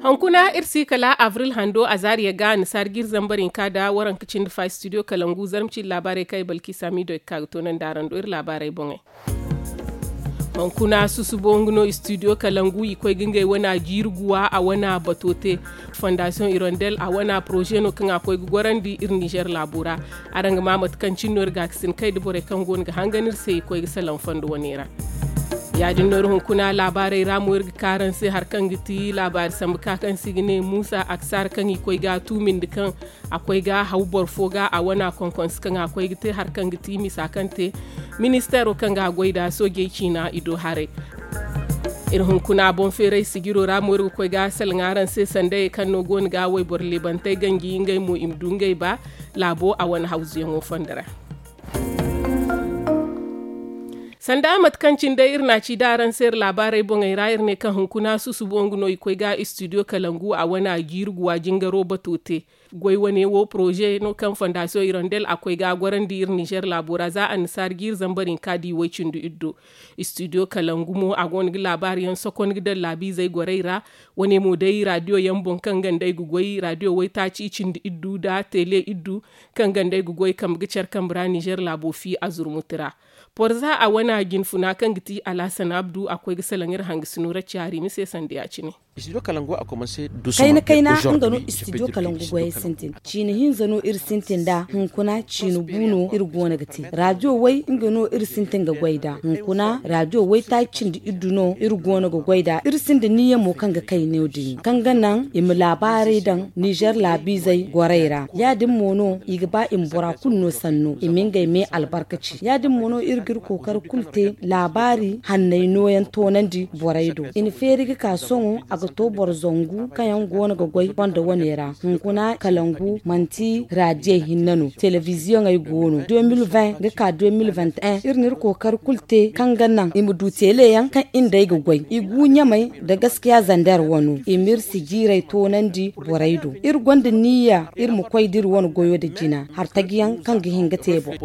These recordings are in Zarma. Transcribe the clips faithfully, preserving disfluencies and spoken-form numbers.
Hunkuna iri si kala abril hando a zaariya ga annasaari ga iri zambar hinka nda waranka cindi fa studio kalangu zarma cindi laabaarey kaŋ ay balki saamiido ay ga ka ga toonandi araŋ do iri laabaarey boŋey. Hunkuna susubo nga no studio kalangu i koy ga ngey wana jiiri guwa a wana bato te. Fondasiyoŋ irondel a wana poroze no kaŋ a koy ga gorandi iri nizer laabo ra. Araŋ ga ma mate kaŋ cine no iri ga ga sin kay nda borey kaŋ go no ga hangan iri se i koy ga salaŋ fondo wane ra. Ya- din no iri hunkuna laabaarey ra mo iri ga ka araŋ se hari kaŋ ga ti laabaari sambu ka kaŋ se i ga ne muusa aksaar kaŋ i koy ga a tuumindi kaŋ a koy ga haw boro fo ga a wana konkonse kaŋ a koy ga te hari kaŋ ga ti misa kaŋ te ministeero kaŋ ga a goy nd'a soojey ciina i do haray. Iri hunkuna boŋ feeray sijiro ra mo iri ga koy ga salaŋ araŋ se sandayey kaŋ no go no ga wayboro leebantey ganji ngey mo i ma du ngey ba laabo a wane hawzuyaŋo fondo ra. Sanda mate kaŋ cine day iri n'a ci da araŋ se iri laabaarey boŋey ra iri ne kaŋ hunkuna susubo nga no i koy ga studio kalangu a wane a jiiri guwa jingaro bato te. Goy wane wo poroze no kaŋ fondasiyoŋ irondel a koy ga a gorandi iri nizer laabo ra za annasaari ga iri zambar hinka di way-cindi iddo. Studio kalangu mo a go no ga laabaari yaŋ sokon ga daŋ laabiizey gorey ra. Wane mo day raadiyo yaŋ boŋ kaŋ ganda ay ga goy raadiyo waytaaci cindi iddu nda tele iddu kaŋ ganda ay ga goy kambe ga care kambe ra nizer laabo fi a zurmuti ra. Porza a wana jinfuna kaŋ ga ti alhasan abdu a koy ga salaŋ iri hangasino ra caari mise sanda ya- cine. Kayna kayna nga no studio kalangu goyey sintin ciine hinza no iri sintin nd'a hunkuna ciine bu no iri go no ga te raadiyo way nga no iri sintin ga goy nd'a hunkuna raadiyo waytaaci cindi iddu no iri go no ga goy nd'a iri sinda niyya mo kaŋ ga kay no- din kaŋ ga naŋ i ma laabaarey daŋ nizer laabiizey gorey ra ya- din mo no i ga ba i ma bora kulu no sanno i ma ngey me albarkaci ya- din mo no iri ga iri kookari kulu te laabaari hanney nooyaŋ toonandi borey do i na feeri ga ka sohõ a ga to boro zangu kaŋ yaŋ go no ga goy fondo wane ra hunkuna kalangu manti raadiyey hinne no telebiziyoŋey go no deux mille vingt ga ka deux mille vingt et un iri na iri kookari kulu te kaŋ ga naŋ i ma du tele yaŋ kaŋ iri nd'ey ga goy i gu ɲamey nda gaskiya zander wano i ma iri sijiirey toonandi borey do iri gonda niyya iri ma koy da iri wane goyo nda jina hartajiyaŋ kaŋ ga hin ga te boŋ.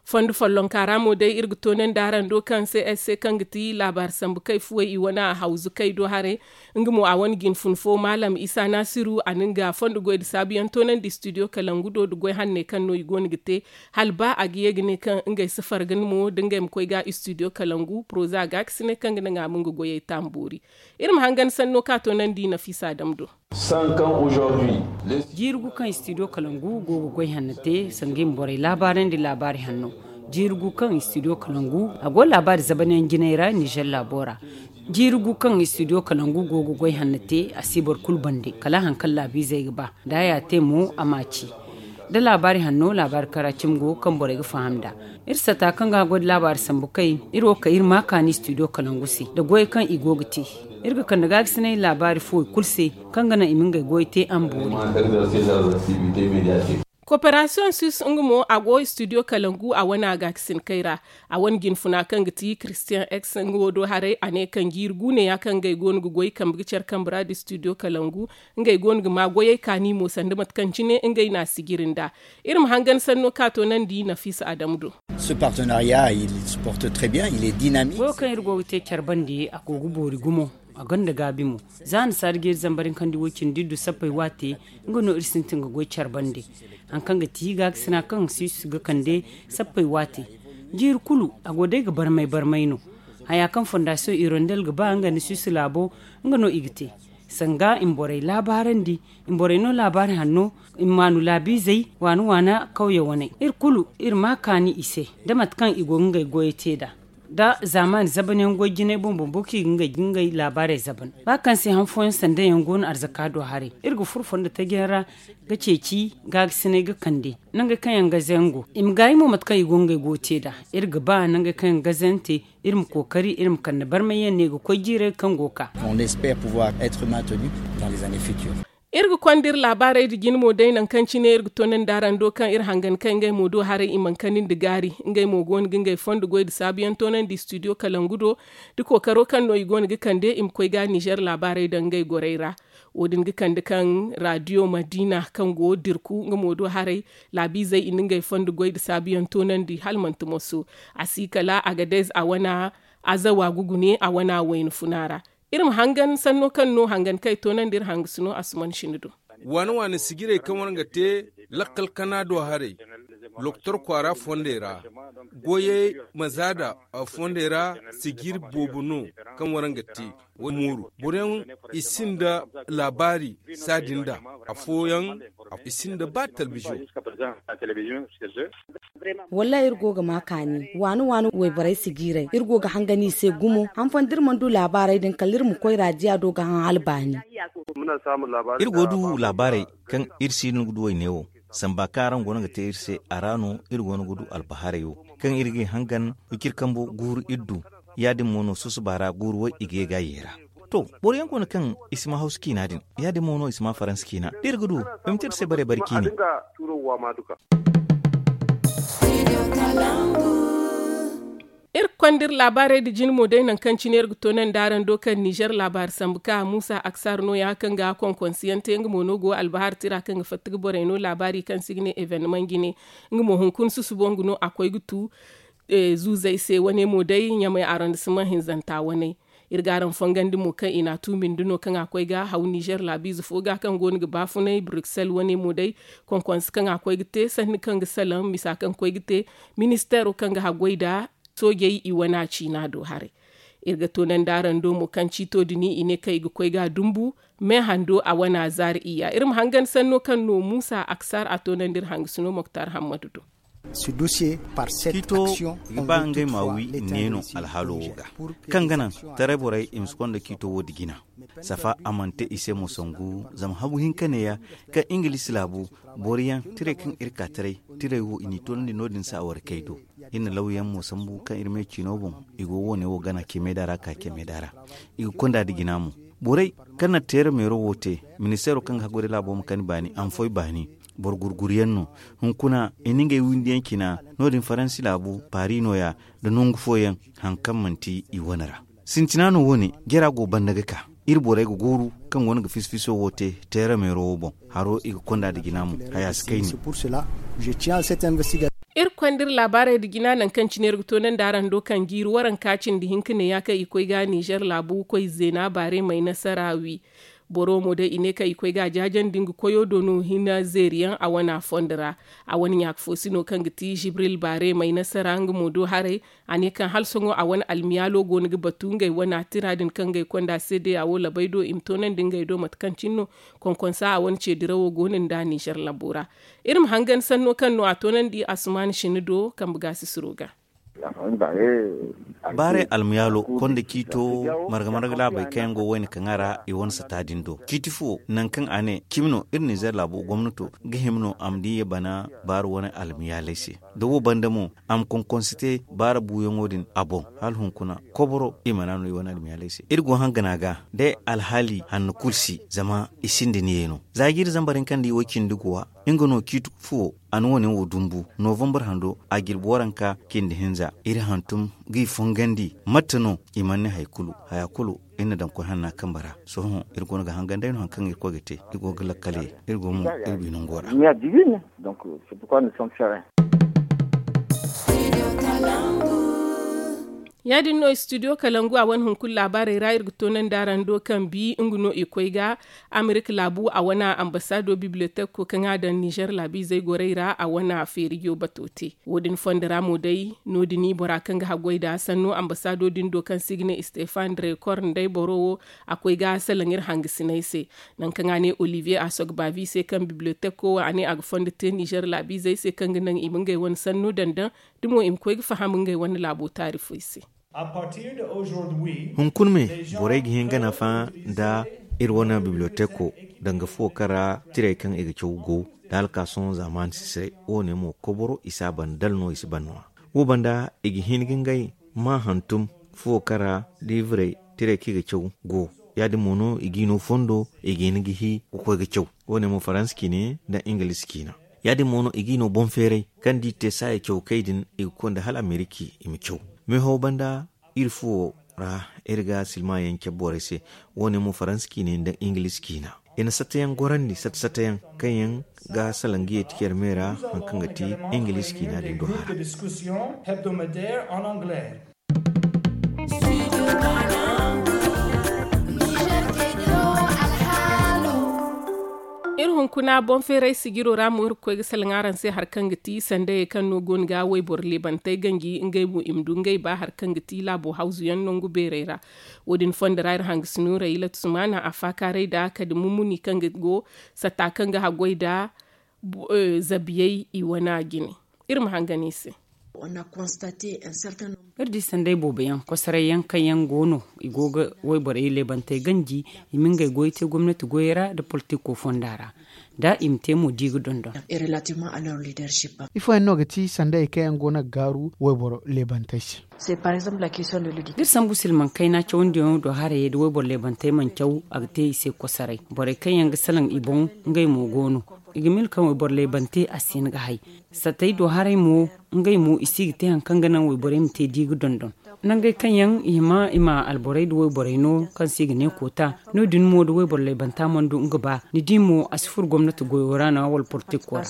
Fondo follonka ra mo day iri ga toonandi araŋ do kaŋ se ay se kaŋ ga ti laabaari sambu kay fuwey i wane a hawzu kay do haray. Nga mo a wane jinfun fo maalam isa naasiru a na nga fondo goy nda saabuyaŋ toonandi studio kalangu do nda goy hanney kaŋ no i go no ga te hala ba a ga ye ga ne kaŋ ngey si farga ni mo da ngey ma koy ga studio kalangu poroza gaakasiney kaŋ ga naŋ a ma nga goyey taamboori. Iri ma hangan sanno ka toonandi nafiisa dam do. Jiiri gu kaŋ studio kalangu go ga goy hanno te sanga i ma borey laabaarandi laabaari hanno. Jiiri gu kaŋ studio kalangu a go laabaari zabanyaŋ jinay ra nizer laabo ra. Jiiri gu kaŋ studio kalangu go ga goy hanno te a si boro kulu bande kala hari kaŋ laabiizey ga ba da a ya te mo a ma a ci. Da laabaari hanno laabaari kara cimi go kaŋ borey ga faham nd'a. Iri sata kaŋ ga a goy nda laabaari sambu kay iri wo kay iri ma a kaani studio kalangu se nda goyey kaŋ i go ga te. Iri ga kande gaagasinay laabaari fuwey kulu se kaŋ ga naŋ i ma ngey goyey te a ma boori. Koperasiyoŋ sis nga mo a go studio kalangu a wane a gaakasin kay ra. A wane jinfuna kaŋ ga ti christian x nga wo do haray a ne kaŋ jiiri gu neeya kaŋ ngey go no ga goy kambe ga care kambe ra nda studio kalangu. Ngey go no ga ma goyey kaani mo sanda mate kaŋ cine ngey n'a sijiri nd'a. Iri ma hangan sanno ka toonandi nafiisa adamu do. Goyo kaŋ iri go ga te care bande a go ga boori gumo. A gonda gaabi mo. Za annasaari ga iri zambar hinkandi woy cindi iddu sappey waate. Nga no iri sintin ga goy care bande. Hari kaŋ ga ti gaakasina kaŋ si si ga kande sappey waate. Jiiri kulu a go day ga barmay barmay no. Haya kaŋ fondasiyoŋ irondel ga ba nga nda suisse laabo. Nga no i ga te sanga i ma borey laabaarandi. I ma borey no laabaari hanno. I ma maanu laabiizey waana waana kawye waney iri kulu iri ma a kaani i se. Da mate kaŋ i go ga ngey goyey te nd'a da zaamaani zabanyaŋ goy jinay boŋ boŋ boro kaŋ i ga ngey ga ngey laabaarey zaban. Ba kaŋ se han fooyaŋ sandayaŋ go no arzaka do haray. Iri ga furo fondo tajiyaŋ ra ga ceeci gaagasinay ga kande. Nangey kaŋ yaŋ gaze yaŋ go i ma gaayi mo mate kaŋ i go ga ngey goyo te nd'a. Iri ga ba nangey kaŋ yaŋ gaze yaŋ te iri ma kookari iri ma kande barmay yaŋ ne ga koy jiirey kaŋ go ga ka. Iri ga konda iri laabaarey nda jine mo day nangu kaŋ cine iri ga toonandi araŋ do kaŋ iri hangan kay ngey mo do haray i mana kani nda gaari. Ngey mo go no ga ngey fondo goy nda saabuyaŋ toonandi studio kalangu do. Da kookaro kaŋ no i go no ga kande i ma koy ga nizer laabaarey daŋ ngey gorey ra. Wo- din ga kande kaŋ raadiyo madiina kaŋ go dirku nga mo do haray. Laabiizey i na ngey fondo goy nda saabuyaŋ toonandi hala manti moso. A si kala agadez a wana azawa ga gune a wana wayna funa ra. Iri ma hangan sanno kaŋ no hangan kaŋ ay toonandi iri hangasino asuman sini do. Waani waani sijirey kaŋ war ga te lakkal kana do haray, lokotor kwaara fondey ra, goyey mazaada fondey ra, sijiri boobo no kaŋ war ga te. Mooru boroyaŋ i sinda laabaari saadin da afooyaŋ, i sinda ba talbizo. Wallaahi iri go ga ma kaani waani waani wayborey si jiiray iri go ga hangan i se gumo han fooyaŋ da iri mana du laabaarey din kala iri ma koy raadiya do ga han hala baani. Iri go ga du laabaarey kaŋ iri si no ga du wayne wo samba kaŋ araŋ go no ga te iri se a ra no iri go no ga du albaharay wo kaŋ iri ga i hangan wiciri kambo guuru iri du. Ya- din mo no susuba ra guuru way i ga ye ga a yeera. To, boro yaŋ go no kaŋ i si ma hawsa ciina din, ya- din mo no i si ma faransa ciina da iri ga du ay ma te iri se bare bare ciine. Iri ga konda iri laabaarey nda jine mo day nangu kaŋ cine iri ga toonandi araŋ do kaŋ nizer laabaari sambu ka muusa aksar no- ya kaŋ ga konkonsiyaŋ te nga mo no go albahar tira kaŋ ga fatta ga borey no laabaari kaŋ se i ga ne evenemaŋ jine. Nga mo hunkuna susubo nga no a koy ga tu zuuzey se wane mo day ɲamay arrondissement hinzanta waney. Iri ga araŋ fongandi mo kaŋ i n'a tuumindi no kaŋ a koy ga haw nizer laabiize fo ga kaŋ go no ga baafunay bruxelles wane mo day konkonse kaŋ a koy ga te sanni kaŋ ga salaŋ misa kaŋ koy ga te ministeero kaŋ ga haggoy nda soojey i wana ciina do haray. Iri ga toonandi araŋ do mo kaŋ ciito din i ne kaŋ i ga koy ga dumbu me hando a wana zaari iyya iri ma hangan sanno kaŋ no muusa aksar a toonandi iri hangasino moktar hammadu do. Ciito i ga ba ngey ma wi ne no alhaalo wo ga kaŋ ga naŋ taray borey i ma si konda ciito wo- din jina. Safa a mana te i se mo sangu zama habu hinka neeya kaŋ ingilis laabu boro yaŋ tirey kaŋ iri ka taray tirey wo i n'i toonandi no- din se a warkey do. Iri na lawyaŋ mo sambu kaŋ iri me ciino boŋ i go wo- ne wo gana cemeeda ra ka cemeeda ra i ga konda nda jina mo. Borey kaŋ na teera meero wo te ministeero kaŋ ga haggoy nda laabo ma kani baani a ma foy baani. Boro gurguriyaŋ no hunkuna i na ngey windiyaŋ cina no- din faransi laabu paari nooya nda nangu fooyaŋ. Hari kaŋ manti i wane ra sintina no wo- ne jara go banda ga ka iri borey ga gooru kaŋ go no ga fiso fiso wo te teera meero wo boŋ haro i ga konda nda jina mo haya si kayni. Iri konda iri laabaarey nda jina nangu kaŋ cine iri ga toonandi araŋ do kaŋ jiiri waranka cindi hinka neeya kaŋ i koy ga nizer laabu koy zeena baare may nasara wi. Boro mo day i ne kaŋ i koy ga a jaajandi nga koyo do no hina zeeriyaŋ a wana fondo ra. A wane ɲaaka fo si no kaŋ ga ti jibril baare may nasara nga mo do haray. A ne kaŋ hala sohõ a wane almiyaalo go no ga batu ngey wana tira din kaŋ ngey konda se day a wo labay do i ma toonandi ngey do mate kaŋ cine no konkonsa a wane ceedirawo go no nda nizer labo ra. Iri ma hangan sanno kaŋ no a toonandi asumaani sine do kambe gaasisiro ga. Baaray almuyaalo konda ciito marga marga laabey kaŋ yaŋ go wayna kaŋ a ra i wane sata din do ciiti fuwo nangu kaŋ a ne cimi no iri nizer laabo gomnato ga hima no a ma di ye bana baaru wane almuyaaley se. Da wo banda mo a ma konkonse te baara buuyaŋo din a boŋ hala hunkuna koboro i mana no i wane almuyaaley se iri go hangana ga day alhaali hanno kulu si zama i sinda niye no. Za jiiri zambar hinka nda iway cindi guwa nga no ciiti fuwo a na wo- ne wo dumbu novambar hando a jirbi waranka cindi hinza iri hantum ga i fongandi mate no i mana ne hari kulu haya kulu iri na daŋ koy hanna kambe ra. Sohõ iri go no ga hangan day no hari kaŋ iri koy ga te iri go ga lakkale iri go mo iri binango ra. Ya- din no studio kalangu a wane hunkuna laabaarey ra iri ga toonandi araŋ do kaŋ bi nga no i koy ga amerika laabu a wane ambasaado bibliyoteko kaŋ a daŋ nizer laabiizey gorey ra a wane feerijo bato te. Wo- din fondo ra mo day no- din bora kaŋ ga haggoy nda sanno ambasaado din do kaŋ se i ga ne stefan drekor nd'ey boro wo a koy ga salaŋ iri hangasiney se. Nangu kaŋ a ne olivier asogbavi se kaŋ bibliyoteko wo a ne a ga fondo te nizer laabiizey se kaŋ ga naŋ i ma ngey wane sanno daŋ daŋ da mo i ma koy ga faham ngey wane laabo taarifey se. Hunkuna me borey ga hin ga nafa nda iri wane bibliyoteko danga fuwo kaŋ ra tirey kaŋ i ga caw go da hala ka sohõ zaamaani si say. Wo- ne mo koboro i si a ban dala no i si ban no-ya. Wo banda i ga hin ga ngey ma hantum fuwo kaŋ ra liivrey tirey kaŋ i ga caw go. Ya- din mo no i ga i no fondo i ga hin ga hi ga koy ga caw. Wo- ne mo faransa ciine nda ingalis ciina. Ya- din mo no i ga i no boŋ feeray kaŋ da i te saaya cawkey din i ga konda hala ameriki i ma caw. Meeho banda iri fuwo ra iri ga silma yaŋ cabe borey se. Wo- ne mo faransa ciine nda ingalis ciina i na satayaŋ gorandi sata satayaŋ kaŋ yaŋ ga salaŋ ga yeeti care me ra hari kaŋ ga ti ingalis ciina din do hara. Iri hunkuna boŋ feeray sijiro ra mo iri ga koy ga salaŋ araŋ se hari kaŋ ga ti sandayey kaŋ no go no ga wayboro leebantey ganji ngey mo i ma du ngey ba hari kaŋ ga ti laabo hawzu yaŋ nangu beerey ra. Wo- din fondo ra iri hangasino ra ilatu sumaana a faakaaray nda kadi mumuni kaŋ ga go satta kaŋ ga haggoy nda zabiyey i wana jine. Iri ma hangan i se. Iri di sanday boobo yaŋ kosoray yaŋ kaŋ yaŋ go no i go ga wayborey leebantey ganji i ma ngey goyo te gomnati goyey ra nda politiko fonda ra nda i ma te mo di ga dondon. Ifo yaŋ no ga ti sandayey kaŋ yaŋ go no ga gaaru wayboro leebantey se? Da iri sambu silmaŋ kayna cawandiyaŋo do harayey da wayboro leebantey mana caw a ga te i se kosoray. Borey kaŋ yaŋ ga salaŋ i boŋ ngey mo go no. I ga miila kaŋ wayboro leebante a si hin ga hay. Sattey do haray mo ngey mo i si ga te hari kaŋ ga naŋ wayborey ma te di ga dondon. Nangey kaŋ yaŋ i hima i ma alborey nda wayborey no kaŋ se i ga ne koota no- din mo da wayboro laybanta mana du nga ba ni di mo a si furo gomnati goyo ra no wala politiko ra.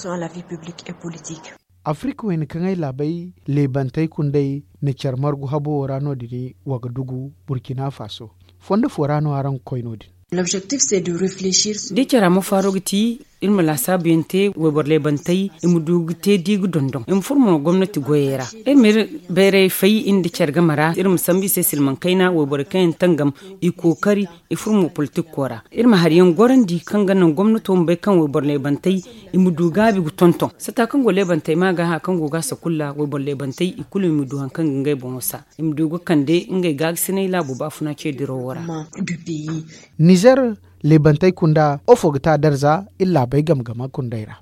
Afirika wayna kaŋ ay laabey laybantey kundey na care margu habo wo ra no- din wagadugu burkina faso. Fondo fo ra no araŋ ga koy no- din. Da i care a ma faaro ga ti iri ma laasaabu yaŋ te wayboro laybantey i ma du ga te di ga dondon i ma furo mo gomnati goyey ra. Iri ma iri bayray fay iri nda care game ra iri ma sambu i se silmaŋ kayna wayborey kaŋ yaŋ tangam i kookari i furo mo politiko ra. Iri ma hari yaŋ gorandi kaŋ ga naŋ gomnato ma bay kaŋ wayboro laybantey i ma du gaabi ga tonton satta kaŋ go laybantey ma ga hari kaŋ go ga a sakulla wayboro laybantey i kulu i ma du hari kaŋ ga ngey boŋo sa i ma du ga kande ngey gaagasinay laabo baafuna ce dirawo ra. Nizer leebantey kunda ofo ga ta darza iri laabey game game kundey ra.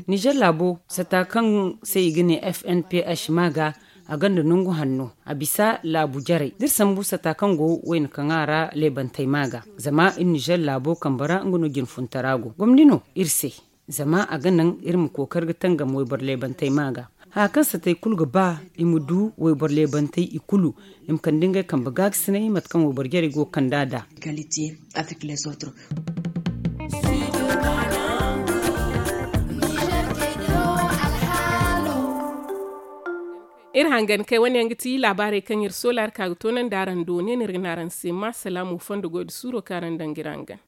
Nizer laabo satta kaŋ se i ga ne fnph ma ga a gonda nangu hanno a bisa laabu jarey da iri sambu satta kaŋ go wayna kaŋ a ra leebantey ma ga zama iri nizer laabo kambe ra nga no jinfuntara go gomni no iri se. Zama a ga naŋ iri ma kookari ga tangam wayboro leebantey ma ga. Haya kaŋ satey kulu ga ba i ma du wayboro leebantey i kulu i ma kande ngey kambe gaagasinay mate kaŋ wayboro jarey go ga kand'a nd'a. Iri hangan kay wane yaŋ ga ti laabaarey kaŋ iri soola iri ka ga toonandi araŋ do ne no iri ga ne araŋ se ma salaamu fondo goy nda suuro kaŋ araŋ daŋ ga iri hangan.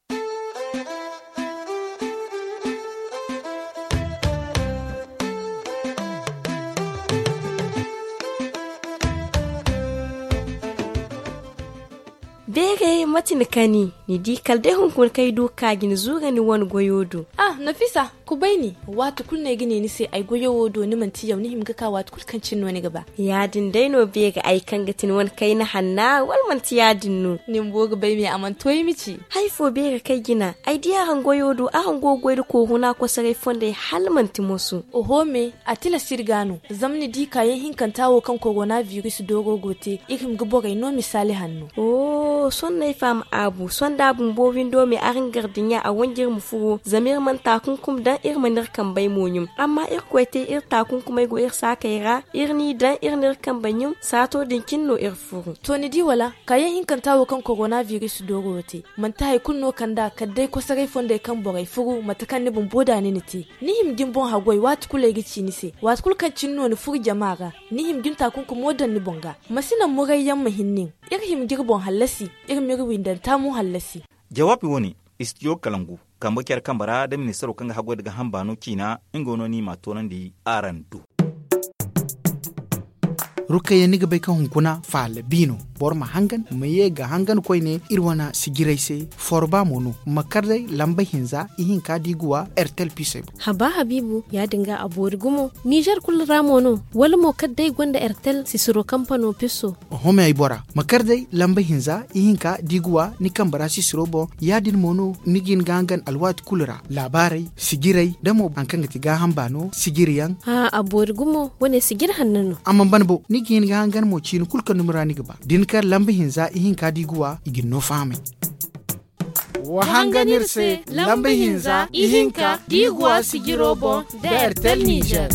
Beeray mate ni kani ni di kala day hunkuna kaŋ ay du ga ka ga ni zuura ni wane goyo do. Ah nafisa, kubay ni. Waati kulu no ay ga ne ni se ay goyo wo do ni manti yaw ni hima ga ka waati kulu kaŋ cine no ni ga ba. Ya- din day no beeri ay kaŋ ga ti ni wane kayna hanna wala manti ya- din no? Ni bumbo ga bay me a mana to ay ma ci. Hari fo beeri kaŋ ay jina ay di araŋ goyo do araŋ go ga goy nda kooru no a kosoray fondey hala manti moso. Oho me, a tilas iri ga no zama ni di kaayaŋ hinkanta wo kaŋ korona biris dooro go te iri hima ga borey no misaali hanno. Sohõ no ay faham aabu sohõ da a bumbo windo me araŋ gar dinya a wanji iri ma furo zama iri mana taakunkum daŋ iri mana iri kambey mo ɲum. Amma irkoy te iri taakunkumey go iri saakey ra iri n'i daŋ iri n'iri kambey ɲum saato din cine no iri furu. To ni di wala kaayaŋ hinkanta wo kaŋ korona biris dooro wo te manti hari kulu no kand'a kala day kosoray fondey kaŋ borey furu mate kaŋ ni bumbo da ni na te. Ni hima ga ni boŋ haggoy waati kulu ay ga ci ni se waati kulu kaŋ cine no ni furu jama ra. Ni hima ga ni taakunkumo daŋ ni boŋ ga. Ma si naŋ murayyaŋ ma hin nin. Iri hima ga iri boŋ hallasi. Iri ma iri windanta mo hallasi. Jawaabi wo- ne, istijo kalangu kambe care kambe ra da ministaro kaŋ ga haggoy nda gaaham baano ciina nga no no i m'a toonandi araŋ do. Rukayya ni ga bay kaŋ hunkuna faala bi no. Boro ma hangan ma ye ga hangan koyne iri wane sijirey se. Forba mo no ma kar day lamba hinza ihinka da i ga wa ertel pisey boŋ. Haba habiibu ya- din ga a boori gumo nizer kulu ra mo no? Wala mo kala day gonda ertel sisiro kampano piso? Oho me ay bora ma kar day lamba hinza ihinka da i ga wa ni kambe ra sisiro boŋ. Ya- din mo no ni ga hin ga hangan alwaati kulu ra laabaarey sijirey da mo hari kaŋ ga ti gaaham baano sijiriyaŋ. A boori gumo wane sijiri hanno no. Amma ban bo ni ga hin ga hangan mo ciini kulu kaŋ dumi ra ni ga ba da ni kar lamba hinza ihinka da i ga wa i ga ni no fahamay. Wa hangan iri se lamba hinza ihinka da i ga wa sijiro boŋ da ertel nizer.